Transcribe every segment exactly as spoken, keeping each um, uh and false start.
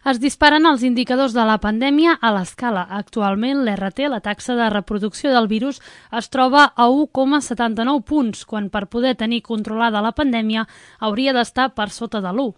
Es disparen els indicadors de la pandèmia a l'escala. Actualment, l'R T, la taxa de reproducció del virus, es troba a u coma setanta-nou punts, quan per poder tenir controlada la pandèmia hauria d'estar per sota de l'u.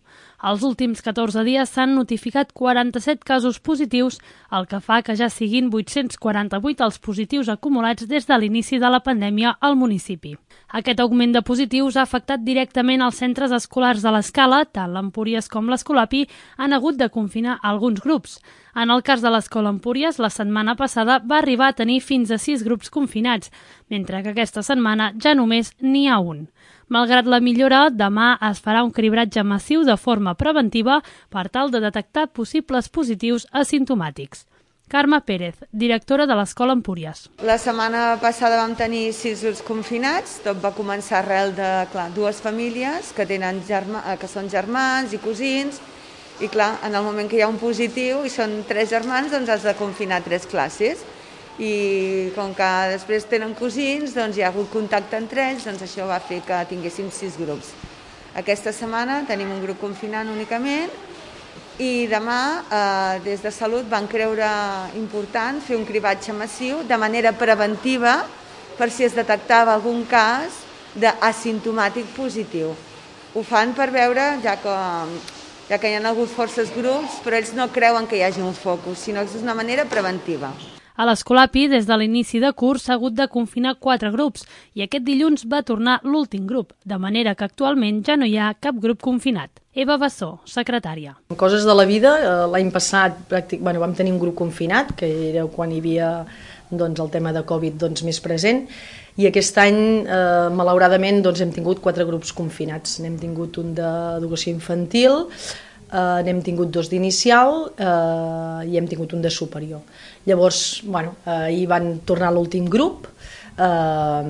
Els últims catorze dies s'han notificat quaranta-set casos positius, el que fa que ja siguin vuit-cents quaranta-vuit els positius acumulats des de l'inici de la pandèmia al municipi. Aquest augment de positius ha afectat directament els centres escolars de l'Escala, tant l'Empúries com l'Escolapi han hagut de confinar alguns grups. En el cas de l'Escola Empúries, la setmana passada va arribar a tenir fins a sis grups confinats, mentre que aquesta setmana ja només n'hi ha un. Malgrat la millora, demà es farà un cribratge massiu de forma preventiva per tal de detectar possibles positius asimptomàtics. Carme Pérez, directora de l'Escola Empúries. La setmana passada vam tenir sis grups confinats. Tot va començar arrel de clar, dues famílies que, tenen germa, que són germans i cosins, i clar, en el moment que hi ha un positiu i són tres germans, doncs has de confinar tres classes. I com que després tenen cosins, doncs hi ha hagut contacte entre ells, doncs això va fer que tinguéssim sis grups. Aquesta setmana tenim un grup confinant únicament i demà, eh, des de Salut, van creure important fer un cribatge massiu de manera preventiva per si es detectava algun cas d'asimptomàtic positiu. Ho fan per veure, ja que, ja que hi ha hagut forces grups, però ells no creuen que hi hagi un focus, sinó que és una manera preventiva. A l'Escolapi, des de l'inici de curs, s'ha hagut de confinar quatre grups i aquest dilluns va tornar l'últim grup, de manera que actualment ja no hi ha cap grup confinat. Eva Bassó, secretària. Coses de la vida, l'any passat pràctic, bueno, vam tenir un grup confinat, que era quan hi havia doncs, el tema de Covid doncs, més present, i aquest any, eh, malauradament, doncs, hem tingut quatre grups confinats. N'hem tingut un d'educació infantil, Uh, n'hem tingut dos d'inicial uh, i hem tingut un de superior. Llavors, bueno, uh, hi van tornar l'últim grup uh,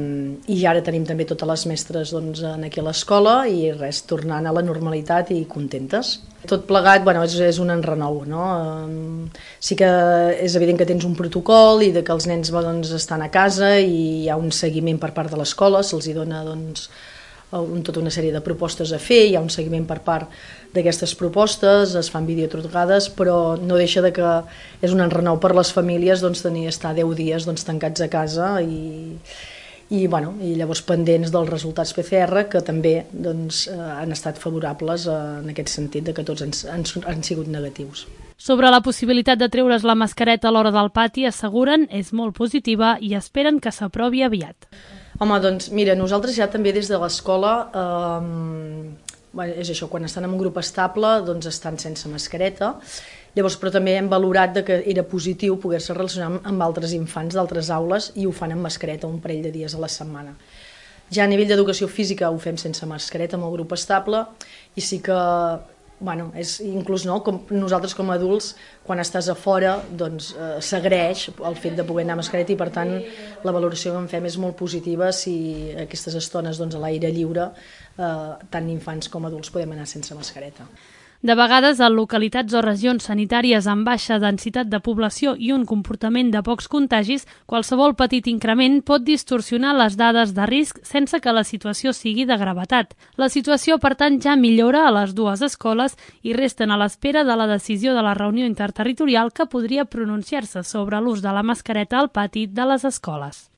i ara tenim també totes les mestres doncs, aquí a l'escola i res, tornant a la normalitat i contentes. Tot plegat, bueno, és, és un enrenou, no? Uh, sí que és evident que tens un protocol i de que els nens doncs, estan a casa i hi ha un seguiment per part de l'escola, se'ls hi dona doncs, un, tota una sèrie de propostes a fer, hi ha un seguiment per part d'aquestes propostes, es fan videotrucades, però no deixa de que és un enrenou per les famílies doncs, tenir estar deu dies doncs, tancats a casa i, i, bueno, i llavors pendents dels resultats P C R que també doncs, han estat favorables en aquest sentit de que tots han, han, han sigut negatius. Sobre la possibilitat de treure's la mascareta a l'hora del pati, asseguren és molt positiva i esperen que s'aprovi aviat. Home, doncs mira, nosaltres ja també des de l'escola, eh, bueno, és això, quan estan en un grup estable, doncs estan sense mascareta, llavors però també hem valorat de que era positiu poder-se relacionar amb altres infants d'altres aules i ho fan amb mascareta un parell de dies a la setmana. Ja a nivell d'educació física ho fem sense mascareta amb el grup estable i sí que bueno, és inclús no, com nosaltres com a adults, quan estàs a fora, doncs eh, s'agraeix el fet de poder anar a mascareta i per tant la valoració que en fem és molt positiva si aquestes estones doncs, a l'aire lliure, eh, tant infants com adults podem anar sense mascareta. De vegades, en localitats o regions sanitàries amb baixa densitat de població i un comportament de pocs contagis, qualsevol petit increment pot distorsionar les dades de risc sense que la situació sigui de gravetat. La situació, per tant, ja millora a les dues escoles i resten a l'espera de la decisió de la reunió interterritorial que podria pronunciar-se sobre l'ús de la mascareta al pati de les escoles.